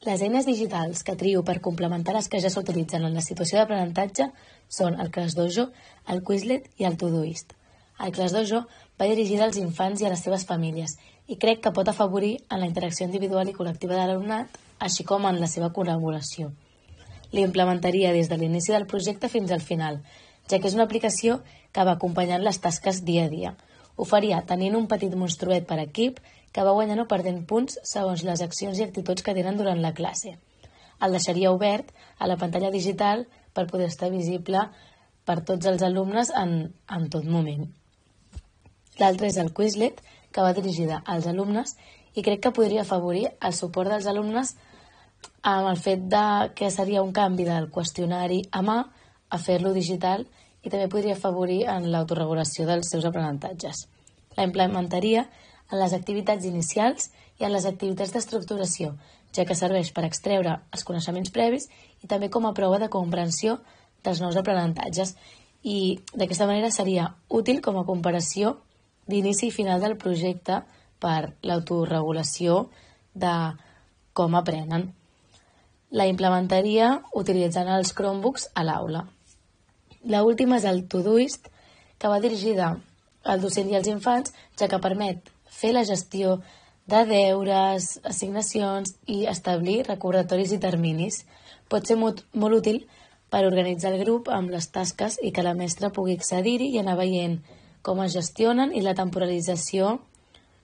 Les eines digitals que trio per complementar les que ja s'utilitzen en la situació d'aprenentatge són el ClassDojo, el Quizlet i el Todoist. El ClassDojo va dirigida als infants i a les seves famílies i crec que pot afavorir en la interacció individual i col·lectiva de l'alumnat, així com en la seva col·laboració. L'implementaria des de l'inici del projecte fins al final, ja que és una aplicació que va acompanyant les tasques dia a dia. Ho faria tenint un petit monstruet per equip que va guanyant o perdent punts segons les accions i actituds que tenen durant la classe. El deixaria obert a la pantalla digital per poder estar visible per tots els alumnes en tot moment. L'altre és el Quizlet, que va dirigida als alumnes i crec que podria afavorir el suport dels alumnes amb el fet que seria un canvi del qüestionari a mà a fer-lo digital i també podria afavorir en l'autoregulació dels seus aprenentatges. La implementaria en les activitats inicials i en les activitats d'estructuració, ja que serveix per extreure els coneixements previs i també com a prova de comprensió dels nous aprenentatges. I d'aquesta manera seria útil com a comparació d'inici i final del projecte per l'autoregulació de com aprenen. La implementaria utilitzant els Chromebooks a l'aula. L'última és el Todoist, que va dirigida al docent i als infants, ja que permet fer la gestió de deures, assignacions i establir recordatoris i terminis. Pot ser molt útil per organitzar el grup amb les tasques i que la mestra pugui accedir-hi i anar veient com es gestionen i la temporalització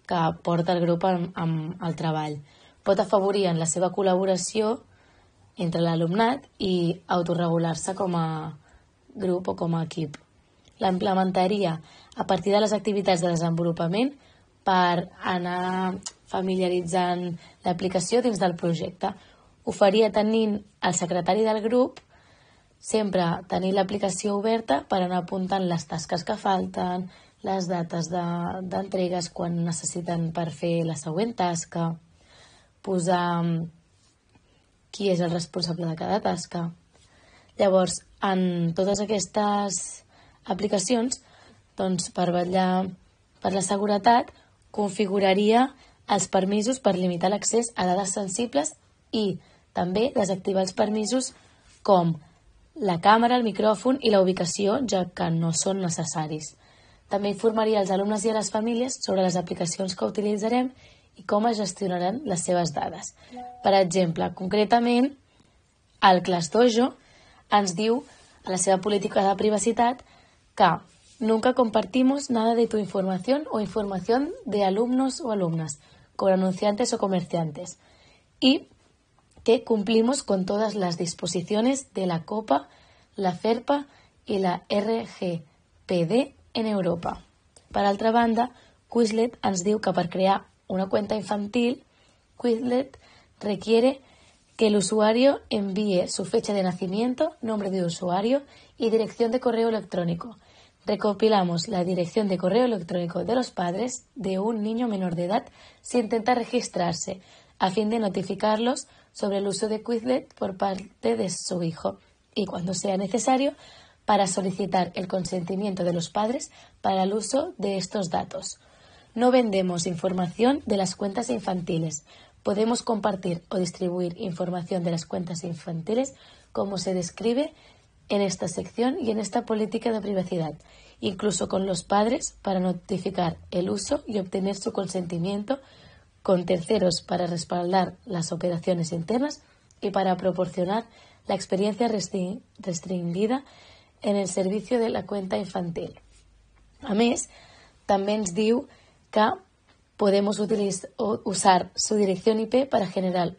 que porta el grup amb el treball. Pot afavorir en la seva col·laboració entre l'alumnat i autorregular-se com a grup o com a equip. La implementaria a partir de les activitats de desenvolupament per anar familiaritzant l'aplicació dins del projecte. Ho faria tenint el secretari del grup sempre tenir l'aplicació oberta per anar apuntant les tasques que falten, les dates d'entregues quan necessiten per fer la següent tasca, posar qui és el responsable de cada tasca. Llavors, en totes aquestes aplicacions, doncs, per vetllar per la seguretat, configuraria els permisos per limitar l'accés a dades sensibles i també desactivar els permisos com la càmera, el micròfon i la ubicació, ja que no són necessaris. També informaria als alumnes i a les famílies sobre les aplicacions que utilitzarem i com es gestionaran les seves dades. Per exemple, concretament, el ClassDojo ens diu a la seva política de privacitat que nunca compartimos nada de tu información o información de alumnos o alumnas, con anunciantes o comerciantes, y que cumplimos con todas las disposiciones de la COPA, la FERPA y la RGPD en Europa. Per altra banda, Quizlet ens diu que per crear una cuenta infantil, Quizlet requiere que el usuario envíe su fecha de nacimiento, nombre de usuario y dirección de correo electrónico. Recopilamos la dirección de correo electrónico de los padres de un niño menor de edad si intenta registrarse, a fin de notificarlos sobre el uso de Quizlet por parte de su hijo y, cuando sea necesario, para solicitar el consentimiento de los padres para el uso de estos datos. No vendemos información de las cuentas infantiles. Podemos compartir o distribuir información de las cuentas infantiles como se describe en esta sección y en esta política de privacidad, incluso con los padres para notificar el uso y obtener su consentimiento, con terceros para respaldar las operaciones internas y para proporcionar la experiencia restringida en el servicio de la cuenta infantil. A més, també ens diu que podemos usar su dirección IP para generar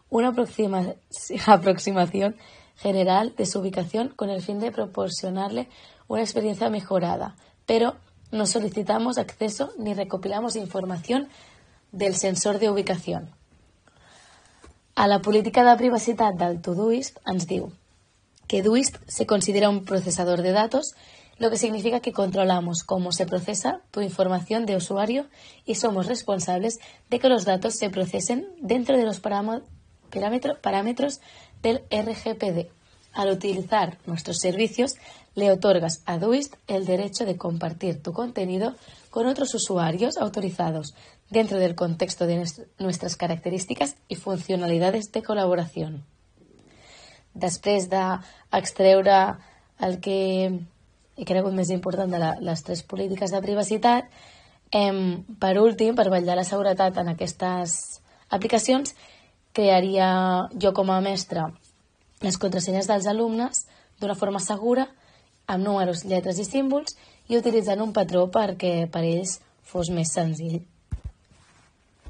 una aproximación general de su ubicación con el fin de proporcionarle una experiencia mejorada, pero no solicitamos acceso ni recopilamos información del sensor de ubicación. A la política de privacitat del Todoist ens diu que Doist se considera un procesador de datos, lo que significa que controlamos cómo se procesa tu información de usuario y somos responsables de que los datos se procesen dentro de los parámetros del RGPD. Al utilizar nuestros servicios, le otorgas a Doist el derecho de compartir tu contenido con otros usuarios autorizados, dentro del contexto de nuestras características y funcionalidades de colaboración. Després d'extreure el que he cregut més important de les 3 polítiques de privacitat, per últim, per vetllar la seguretat en aquestes aplicacions, crearia jo com a mestre les contrasenyes dels alumnes d'una forma segura, amb números, lletres i símbols, i utilitzant un patró perquè per ells fos més senzill.